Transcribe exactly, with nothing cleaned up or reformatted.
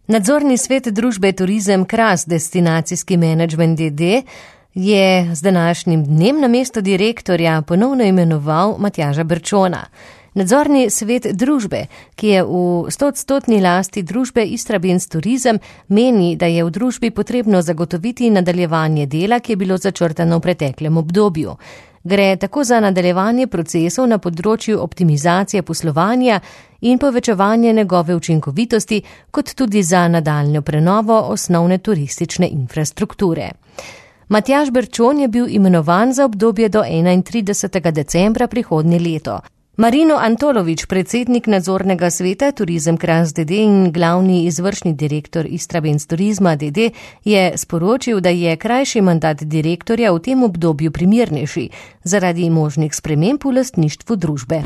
Nadzorni svet družbe Turizem Kras Destinacijski menedžment D D je z današnjim dnem namesto direktorja ponovno imenoval Matjaža Berčona. Nadzorni svet družbe, ki je v stoodstotni lasti družbe Istrabenz Turizem, meni, da je v družbi potrebno zagotoviti nadaljevanje dela, ki je bilo začrtano v preteklem obdobju. Gre tako za nadaljevanje procesov na področju optimizacije poslovanja in povečevanje njegove učinkovitosti, kot tudi za nadaljnjo prenovo osnovne turistične infrastrukture. Matjaž Berčon je bil imenovan za obdobje do enaintridesetega decembra prihodnje leto. Marino Antolovič, predsednik nadzornega sveta Turizem Kras D D in glavni izvršni direktor Istrabenz Turizma D D, je sporočil, da je krajši mandat direktorja v tem obdobju primernejši zaradi možnih sprememb v lastništvu družbe.